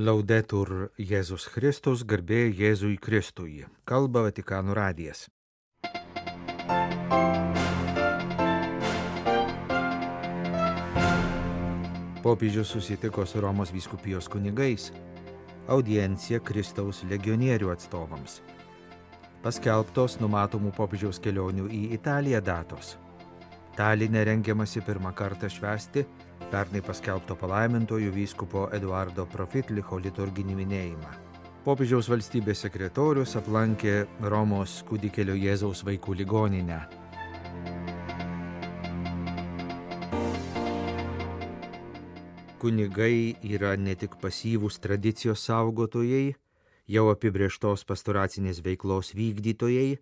Laudetur Jėzus Kristus, garbė Jėzui Kristui. Kalba Vatikano radijas. Popiežius susitiko su Romos vyskupijos kunigais. Audiencija Kristaus legionierių atstovams. Paskelbtos numatomų popiežiaus kelionių į Italiją datos. Taline rengiamasi pirmą kartą švęsti pernai paskelbto palaimintojo vyskupo Eduardo Profitlicho liturginį minėjimą. Popiežiaus valstybės sekretorius aplankė Romos kūdikėlio Jėzaus vaikų ligoninę. Kunigai yra ne tik pasyvūs tradicijos saugotojai, jau apibrėžtos pastoracinės veiklos vykdytojai,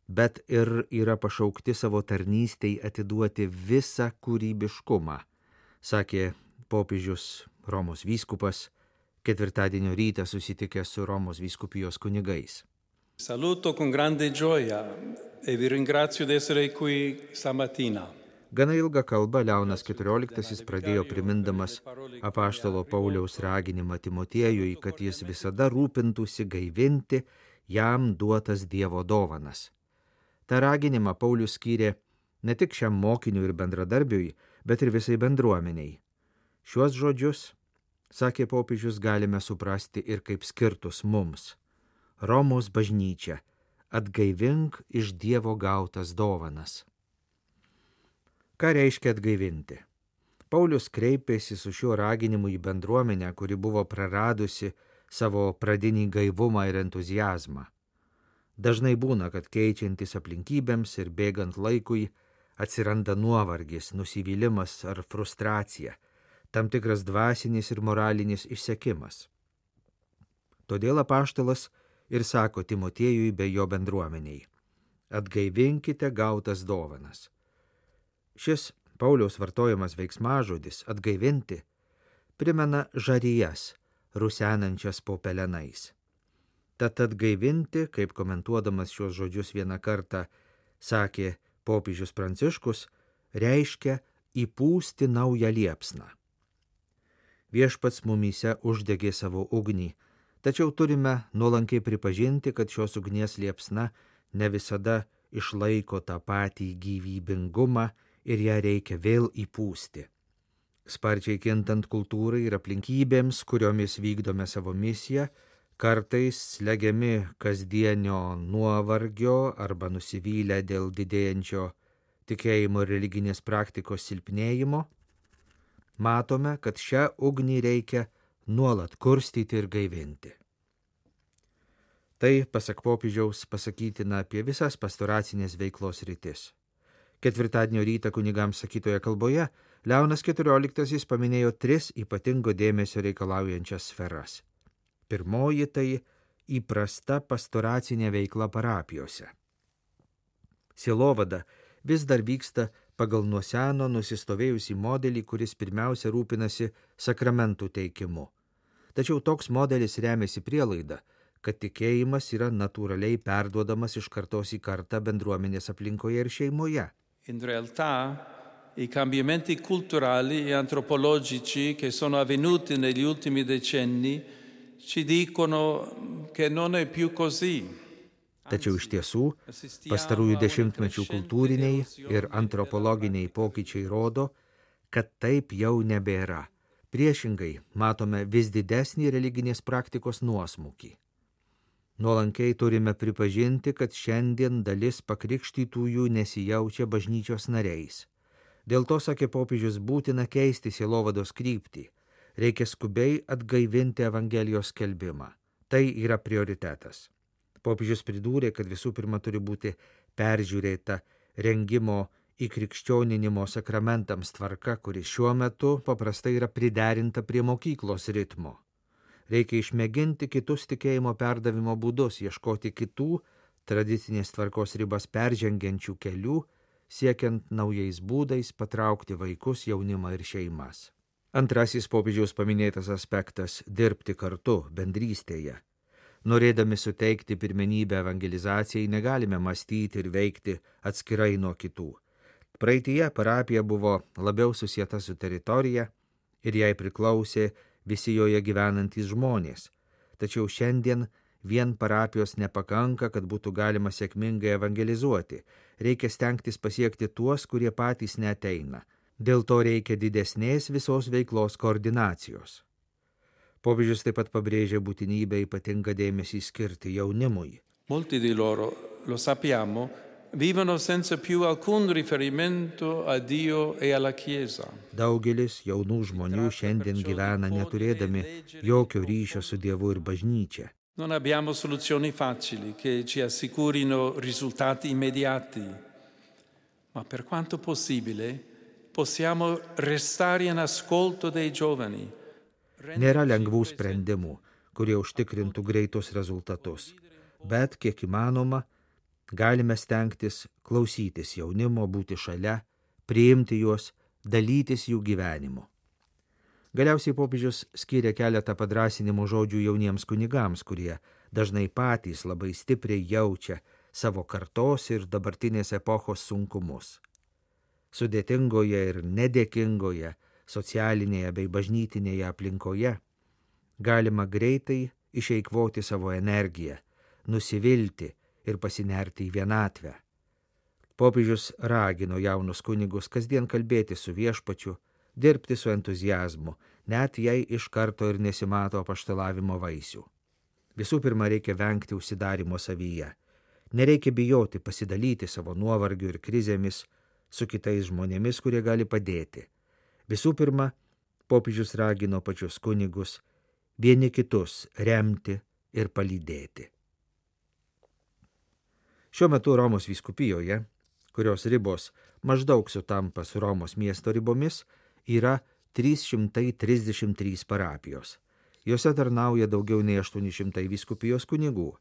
bet ir yra pašaukti savo tarnystei atiduoti visą kūrybiškumą, sakė popiežius Romos vyskupas ketvirtadienio rytą susitikęs su Romos vyskupijos kunigais. Saluto con grande gioia e vi ringrazio di essere qui stamattina. Gana ilgą kalbą Leonas XIV pradėjo primindamas apaštalo Pauliaus raginimą Timotiejui, kad jis visada rūpintųsi gaivinti jam duotas Dievo dovanas. Ta raginimą Paulius skyrė ne tik šiam mokiniui ir bendradarbiui, bet ir visai bendruomeniai. Šiuos žodžius, sakė popiežius, galime suprasti ir kaip skirtus mums. Romos bažnyčia, atgaivink iš Dievo gautas dovanas. Ką reiškia atgaivinti? Paulius kreipėsi su šiuo raginimu į bendruomenę, kuri buvo praradusi savo pradinį gaivumą ir entuziazmą. Dažnai būna, kad keičiantis aplinkybėms ir bėgant laikui atsiranda nuovargis, nusivylimas ar frustracija, tam tikras dvasinis ir moralinis išsekimas. Todėl apaštalas ir sako Timotiejui bei jo bendruomeniai: atgaivinkite gautas dovanas. Šis Pauliaus vartojamas veiksmažodis atgaivinti primena žarijas, rusenančias po pelenais. Tad atgaivinti, kaip komentuodamas šios žodžius vieną kartą sakė popiežius Pranciškus, reiškia įpūsti naują liepsną. Viešpats mumyse uždegė savo ugnį, tačiau turime nuolankiai pripažinti, kad šios ugnies liepsna ne visada išlaiko tą patį gyvybingumą ir ją reikia vėl įpūsti. Sparčiai kintant kultūrai ir aplinkybėms, kuriomis vykdome savo misiją, kartais slegiami kasdienio nuovargio arba nusivylę dėl didėjančio tikėjimo ir religinės praktikos silpnėjimo, matome, kad šią ugnį reikia nuolat kurstyti ir gaivinti. Tai, pasak popiežiaus, pasakytina apie visas pastoracinės veiklos rytis. Ketvirtadienio rytą kunigams sakytoje kalboje Leonas XIV paminėjo 3 ypatingo dėmesio reikalaujančias sferas. Pirmoji tai įprasta pastoracinė veikla parapijose. Sielovada vis dar vyksta pagal nuo seno nusistovėjusį modelį, kuris pirmiausia rūpinasi sakramentų teikimu. Tačiau toks modelis remiasi prielaida, kad tikėjimas yra natūraliai perduodamas iš kartos į kartą bendruomenės aplinkoje ir šeimoje. In realtà, i cambiamenti culturali e antropologici che sono avvenuti negli ultimi decenni ci dicono che non è più così. Tačiau iš tiesų, pastarųjų dešimtmečių kultūriniai ir antropologiniai pokyčiai rodo, kad taip jau nebėra. Priešingai, matome vis didesnį religinės praktikos nuosmukį. Nuolankiai turime pripažinti, kad šiandien dalis pakrikštytųjų nesijaučia bažnyčios nariais. Dėl to, sakė popiežius, būtina keisti sielovados kryptį. Reikia skubiai atgaivinti Evangelijos skelbimą. Tai yra prioritetas. Popiežius pridūrė, kad visų pirma turi būti peržiūrėta rengimo įkrikščioninimo sakramentams tvarka, kuri šiuo metu paprastai yra priderinta prie mokyklos ritmo. Reikia išmėginti kitus tikėjimo perdavimo būdus, ieškoti kitų tradicinės tvarkos ribas peržengiančių kelių, siekiant naujais būdais patraukti vaikus, jaunimą ir šeimas. Antrasis popiežiaus paminėtas aspektas – dirbti kartu, bendrystėje. Norėdami suteikti pirmenybę evangelizacijai, negalime mąstyti ir veikti atskirai nuo kitų. Praeityje parapija buvo labiau susieta su teritorija ir jai priklausė visi joje gyvenantys žmonės. Tačiau šiandien vien parapijos nepakanka, kad būtų galima sėkmingai evangelizuoti. Reikia stengtis pasiekti tuos, kurie patys neateina. Dėl to reikia didesnės visos veiklos koordinacijos. Popiežius taip pat pabrėžia būtinybę ypatingą dėmesį skirti jaunimui. Molti di loro, lo sappiamo, vivono senza più alcun riferimento a Dio e alla Chiesa. Daugelis jaunų žmonių šiandien gyvena neturėdami jokio ryšio su Dievu ir bažnyčia. Non abbiamo soluzioni facili che ci assicurino risultati immediati, ma per quanto possibile possiamo restare in ascolto dei giovani. Nėra lengvų sprendimų, kurie užtikrintų greitus rezultatus, bet kiek įmanoma, galime stengtis klausytis jaunimo, būti šalia, priimti juos, dalytis jų gyvenimu. Galiausiai popiežius skyrė keletą padrąsinimo žodžių jauniems kunigams, kurie dažnai patys labai stipriai jaučia savo kartos ir dabartinės epochos sunkumus. Sudėtingoje ir nedėkingoje socialinėje bei bažnytinėje aplinkoje galima greitai išeikvoti savo energiją, nusivilti ir pasinerti į vienatvę. Popiežius ragino jaunus kunigus kasdien kalbėti su viešpačiu, dirbti su entuziazmu, net jei iš karto ir nesimato apaštalavimo vaisių. Visų pirma, reikia vengti užsidarimo savyje. Nereikia bijoti pasidalyti savo nuovargiu ir krizėmis su kitais žmonėmis, kurie gali padėti. Visų pirma, popiežius ragino pačius kunigus vieni kitus remti ir palydėti. Šiuo metu Romos vyskupijoje, kurios ribos maždaug sutampa su Romos miesto ribomis, yra 333 parapijos. Jose tarnauja daugiau nei 800 vyskupijos kunigų.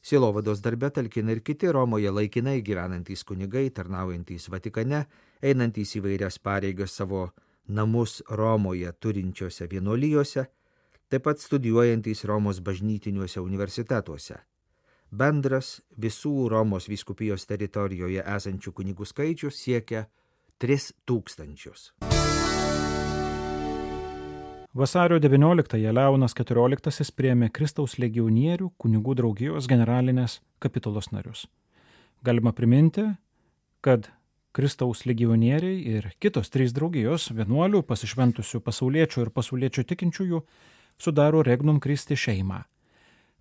Sielovados darbe talkina ir kiti Romoje laikinai gyvenantys kunigai, tarnaujantys Vatikane, einantys įvairias pareigas savo namus Romoje turinčiose vienuolijose, taip pat studijuojantys Romos bažnytiniuose universitetuose. Bendras visų Romos vyskupijos teritorijoje esančių kunigų skaičius siekia 3000. Vasario 19-ąją Leonas XIV priėmė Kristaus legionierių kunigų draugijos generalinės kapitulos narius. Galima priminti, kad Kristaus legionieriai ir kitos 3 draugijos vienuolių, pasišventusių pasauliečių ir pasauliečių tikinčiųjų, sudaro Regnum Christi šeimą.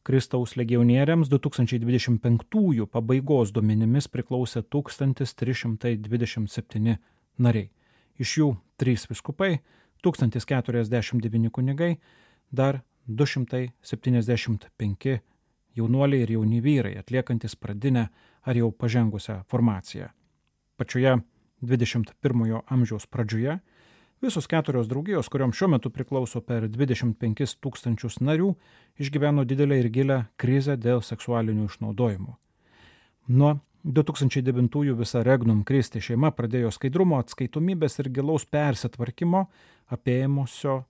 Kristaus legionieriams 2025 pabaigos duomenimis priklausė 1327 nariai. Iš jų 3 vyskupai, 1049 kunigai, dar 275 jaunuoliai ir jauni vyrai, atliekantis pradinę ar jau pažengusią formaciją. Pačioje 21 amžiaus pradžioje visos 4 draugijos, kurioms šiuo metu priklauso per 25 000 narių, išgyveno didelę ir gilę krizę dėl seksualinių išnaudojimų. Nuo 2009 visa Regnum Christi šeima pradėjo skaidrumo, atskaitomybės ir gilaus persitvarkymo, apėmusio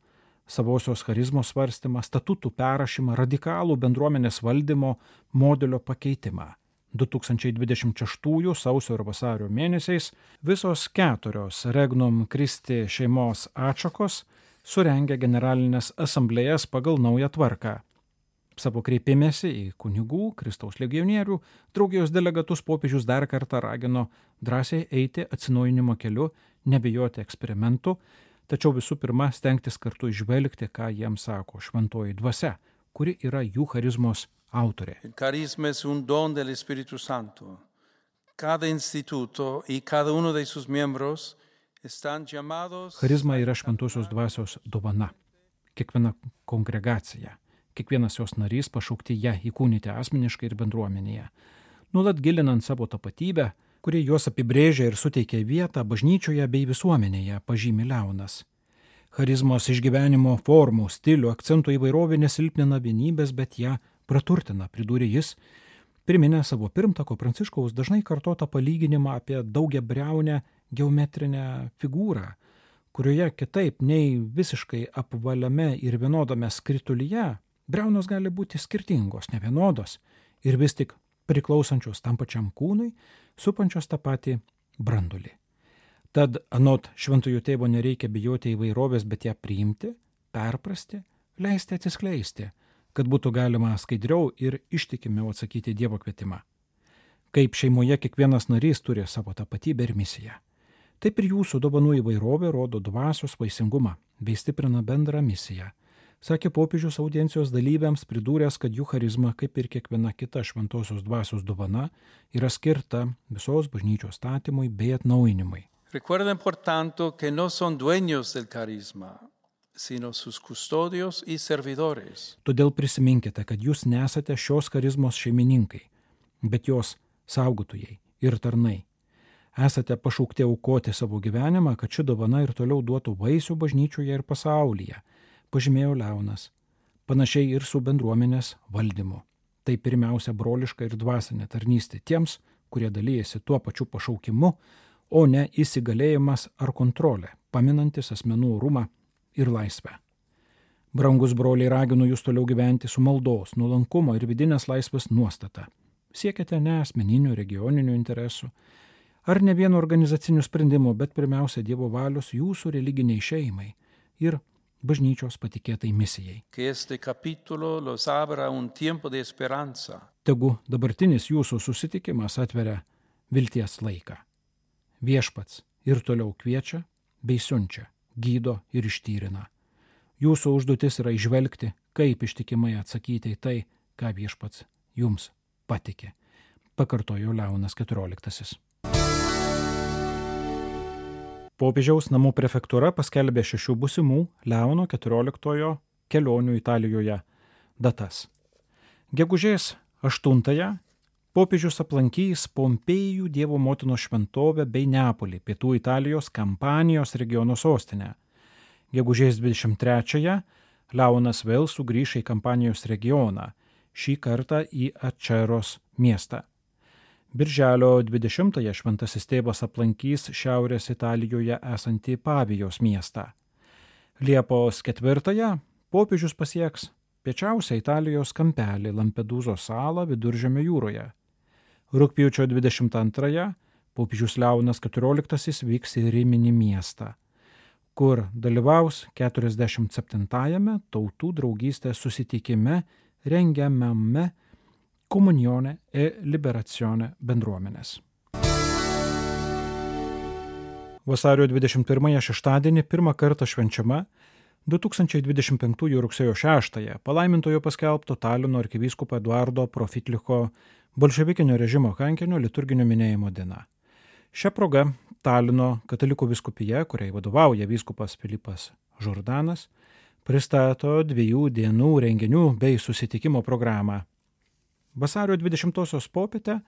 savosios charizmos svarstymą, statutų perrašymą, radikalų bendruomenės valdymo modelio pakeitimą. 2026 sausio ir vasario mėnesiais visos 4 Regnum Christi šeimos atšakos surengė generalinės asamblėjas pagal naują tvarką. Savo kreipimėsi į kunigų, Kristaus legionierių, draugijos delegatus popiežius dar kartą ragino drąsiai eiti atsinaujinimo keliu, nebijoti eksperimentų, tačiau visų pirma stengtis kartu išvelgti, ką jiems sako šventoji dvasia, kuri yra jų charizmos autorė. Il carisma es un don del Espíritu Santo. Cada instituto y cada uno de sus miembros están llamados. Charizma yra šventosios dvasios dovana. Kiekviena kongregacija, kiekvienas jos narys pašaukti ją įkūnyti asmeniškai ir bendruomenėje. Nuolat gilinant savo tapatybę, kuri juos apibrėžia ir suteikia vietą bažnyčioje bei visuomenėje, pažymi Leonas. Charizmos išgyvenimo formų, stilių, akcentų įvairovė nesilpnina vienybės, bet ją praturtina, pridūrė jis, priminė savo pirmtako Pranciškaus dažnai kartotą palyginimą apie daugiabriaunę geometrinę figūrą, kurioje kitaip nei visiškai apvaliame ir vienodame skritulyje, briaunos gali būti skirtingos, nevienodos ir vis tik priklausančios tam pačiam kūnui, supančios tą patį brandulį. Tad anot šventojo tėvo nereikia bijoti įvairovės, bet ją priimti, perprasti, leisti atsiskleisti, kad būtų galima skaidriau ir ištikimiau atsakyti Dievo kvietimą. Kaip šeimoje kiekvienas narys turi savo tapatybę ir misiją, taip ir jūsų dovanų įvairovė rodo dvasios vaisingumą bei stiprina bendrą misiją, sakė popiežius audiencijos dalyviams, pridūręs, kad jų charizma, kaip ir kiekviena kita šventosios dvasios dovana, yra skirta visos bažnyčios statymui bei atnaujinimui. Recuerden, por tanto, que no son dueños del carisma, sino sus custodios y servidores. Todėl prisiminkite, kad jūs nesate šios charizmos šeimininkai, bet jos saugotojai ir tarnai. Esate pašaukti aukoti savo gyvenimą, kad ši dovana ir toliau duotų vaisių bažnyčioje ir pasaulyje, pažymėjo Leonas, panašiai ir su bendruomenės valdymu. Tai pirmiausia broliška ir dvasinė tarnystė tiems, kurie dalyjasi tuo pačiu pašaukimu, o ne įsigalėjimas ar kontrolė, paminantis asmenų orumą ir laisvę. Brangus broliai, raginu jūs toliau gyventi su maldos, nuolankumo ir vidinės laisvės nuostata. Siekite ne asmeninių regioninių interesų ar ne vieno organizacinių sprendimų, bet pirmiausia Dievo valios jūsų religiniai šeimai ir bažnyčios patikėtai misijai. Tegu dabartinis jūsų susitikimas atveria vilties laiką. Viešpats ir toliau kviečia bei siunčia, gydo ir ištyrina. Jūsų užduotis yra įžvelgti, kaip ištikimai atsakyti į tai, ką viešpats jums patikė, pakartojo Leonas XIV. Popiežiaus namų prefektūra paskelbė 6 būsimų Leono XIV kelionių Italijoje datas. Gegužės 8 popiežius aplankys Pompėjų Dievo motinos šventovę bei Neapolį, pietų Italijos Kampanijos regiono sostinę. Gegužės 23 Leonas vėl sugrįš į Kampanijos regioną, šį kartą į Aceros miestą. Birželio 20 šventasis tėvas aplankys Šiaurės Italijoje esantį Pavijos miestą. Liepos 4 popiežius pasieks piečiausią Italijos kampelį Lampedūzos salą Viduržemio jūroje. Rugpjūčio 22 popiežius Leonas XIV vyks į Riminį miestą, kur dalyvaus 47-ame tautų draugystės susitikime rengiamame Komunione e Liberazione bendruomenės. Vasario 21 šeštadienį pirmą kartą švenčiama 2025 rugsėjo 6 palaimintojo paskelbto Talino arkivyskupo Eduardo Profitliko bolševikinio režimo kankinio liturginio minėjimo diena. Šia proga Talino katalikų vyskupija, kuriai vadovauja vyskupas Filipas Žordanas, pristato 2 dienų renginių bei susitikimo programą. Vasario 20 popietę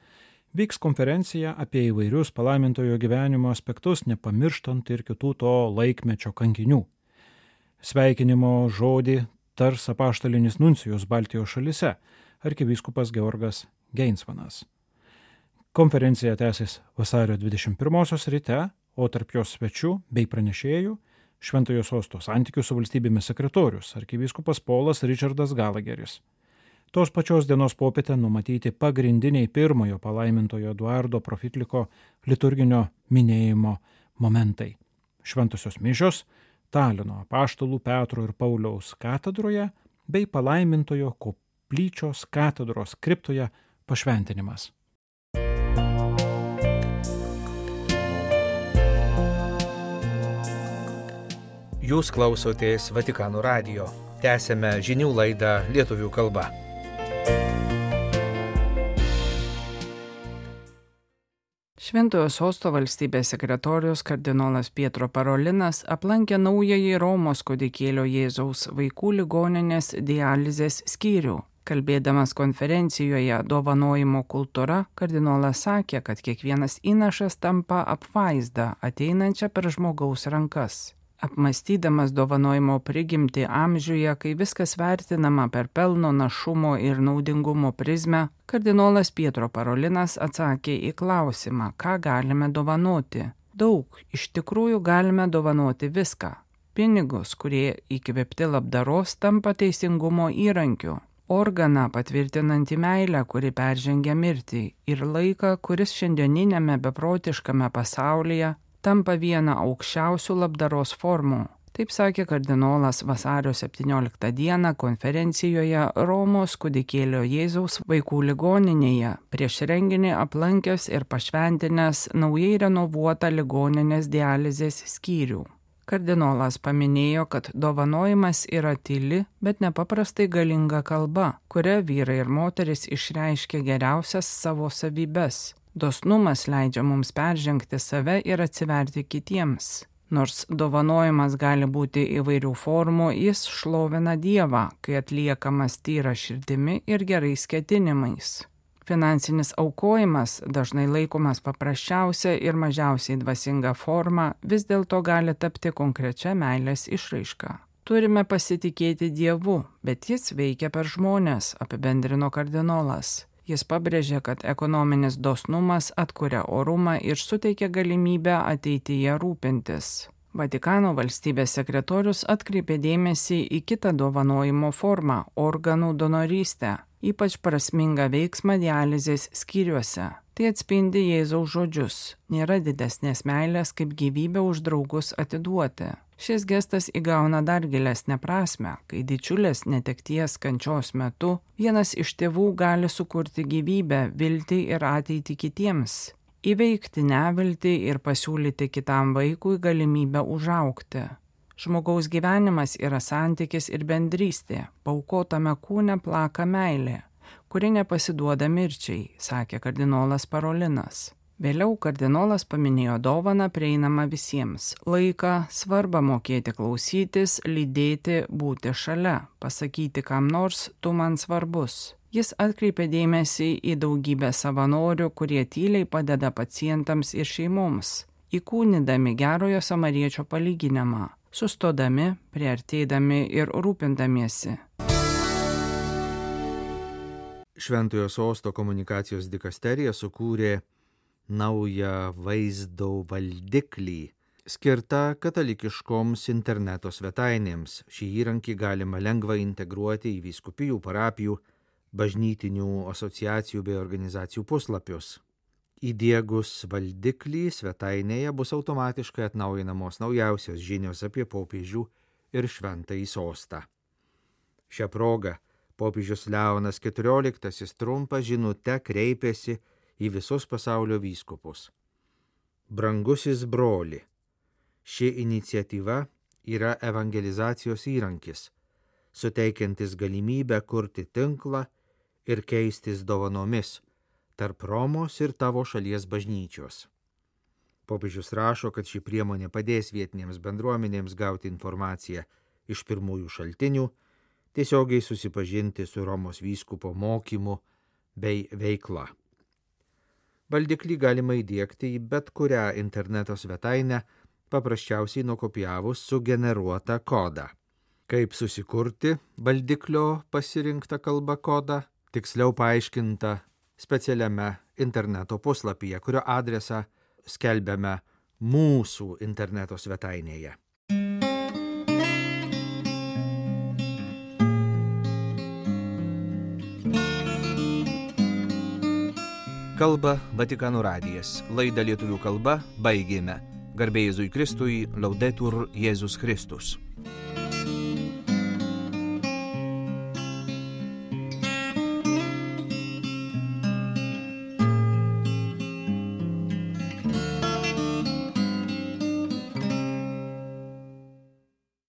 vyks konferencija apie įvairius palaimintojo gyvenimo aspektus, nepamirštant ir kitų to laikmečio kankinių. Sveikinimo žodį tars apaštalinis nuncijus Baltijos šalyse, arkivyskupas Georgas Geinsvanas. Konferencija tęsis vasario 21 ryte, o tarp jos svečių bei pranešėjų Šventojo sosto santykių su valstybėmis sekretorius, arkivyskupas Polas Richardas Galageris. Tos pačios dienos popietę numatyti pagrindiniai pirmojo palaimintojo Eduardo Profitliko liturginio minėjimo momentai. Šventosios mišios Talino apaštalų Petro ir Pauliaus katedroje bei palaimintojo koplyčios katedros kriptoje pašventinimas. Jūs klausotės Vatikano radijo. Tęsėme žinių laidą lietuvių kalba. Šventojo sosto valstybės sekretorius kardinolas Pietro Parolinas aplankė naująjį Romos kūdikėlio Jėzaus vaikų ligoninės dializės skyrių. Kalbėdamas konferencijoje Dovanojimo kultūra, kardinolas sakė, kad kiekvienas įnašas tampa apvaizda ateinančia per žmogaus rankas. Apmąstydamas dovanojimo prigimtį amžiuje, kai viskas vertinama per pelno, našumo ir naudingumo prizmę, kardinolas Pietro Parolinas atsakė į klausimą, ką galime dovanoti. Daug, iš tikrųjų galime dovanoti viską. Pinigus, kurie įkvėpti labdaros, tampa teisingumo įrankiu. Organą patvirtinantį meilę, kuri peržengia mirtį, ir laiką, kuris šiandieninėme beprotiškame pasaulyje tampa viena aukščiausių labdaros formų. Taip sakė kardinolas vasario 17 dieną konferencijoje Romos kūdikėlio Jėzaus vaikų ligoninėje, prieš renginį aplankęs ir pašventinęs naujai renovuotą ligoninės dializės skyrių. Kardinolas paminėjo, kad dovanojimas yra tyli, bet nepaprastai galinga kalba, kuria vyrai ir moteris išreiškia geriausias savo savybes. Dosnumas leidžia mums peržengti save ir atsiverti kitiems. Nors dovanojimas gali būti įvairių formų, jis šlovina Dievą, kai atliekamas tyra širdimi ir gerais ketinimais. Finansinis aukojimas, dažnai laikomas paprasčiausia ir mažiausiai dvasinga forma, vis dėlto gali tapti konkrečia meilės išraiška. Turime pasitikėti Dievu, bet jis veikia per žmones, apibendrino kardinolas. Jis pabrėžė, kad ekonominis dosnumas atkuria orumą ir suteikia galimybę ateityje rūpintis. Vatikano valstybės sekretorius atkreipė dėmesį į kitą dovanojimo formą – organų donorystę, ypač prasmingą veiksmą dializės skyriuose. Tai atspindi Jėzaus žodžius – nėra didesnės meilės, kaip gyvybę už draugus atiduoti. Šis gestas įgauna dar gilesnę prasmę, kai didžiulės netekties kančios metu vienas iš tėvų gali sukurti gyvybę, viltį ir ateitį kitiems, įveikti neviltį ir pasiūlyti kitam vaikui galimybę užaugti. Žmogaus gyvenimas yra santykis ir bendrystė, paaukotame kūne plaka meilė, kuri nepasiduoda mirčiai, sakė kardinolas Parolinas. Vėliau kardinolas paminėjo dovaną prieinamą visiems – laiką, svarbą mokėti klausytis, lydėti, būti šalia, pasakyti kam nors, tu man svarbus. Jis atkreipė dėmesį į daugybę savanorių, kurie tyliai padeda pacientams ir šeimoms, įkūnydami gerojo samariečio palyginimą, sustodami, priartėdami ir rūpindamiesi. Šventojo Sosto komunikacijos dikasterija sukūrė naują vaizdo valdiklį, skirtą katalikiškoms interneto svetainėms. Šį įrankį galima lengvai integruoti į vyskupijų, parapijų, bažnytinių asociacijų bei organizacijų puslapius. Įdiegus valdiklį svetainėje bus automatiškai atnaujinamos naujausios žinios apie popiežių ir Šventąjį Sostą. Šią progą popiežius Leonas XIV trumpa žinute kreipėsi į visus pasaulio vyskupus. Brangusis broli, ši iniciatyva yra evangelizacijos įrankis, suteikiantis galimybę kurti tinklą ir keistis dovanomis tarp Romos ir tavo šalies bažnyčios. Popiežius rašo, kad ši priemonė padės vietinėms bendruomenėms gauti informaciją iš pirmųjų šaltinių, tiesiogiai susipažinti su Romos vyskupo mokymu bei veikla. Valdiklį galima įdiegti į bet kurią interneto svetainę, paprasčiausiai nukopijavus sugeneruotą kodą. Kaip susikurti valdiklio pasirinktą kalbą kodą, tiksliau paaiškinta specialiame interneto puslapyje, kurio adresą skelbiame mūsų interneto svetainėje. Kalba Vatikano radijas. Laidą lietuvių kalba baigėme. Garbė Jėzui Kristui, Laudetur Jėzus Kristus.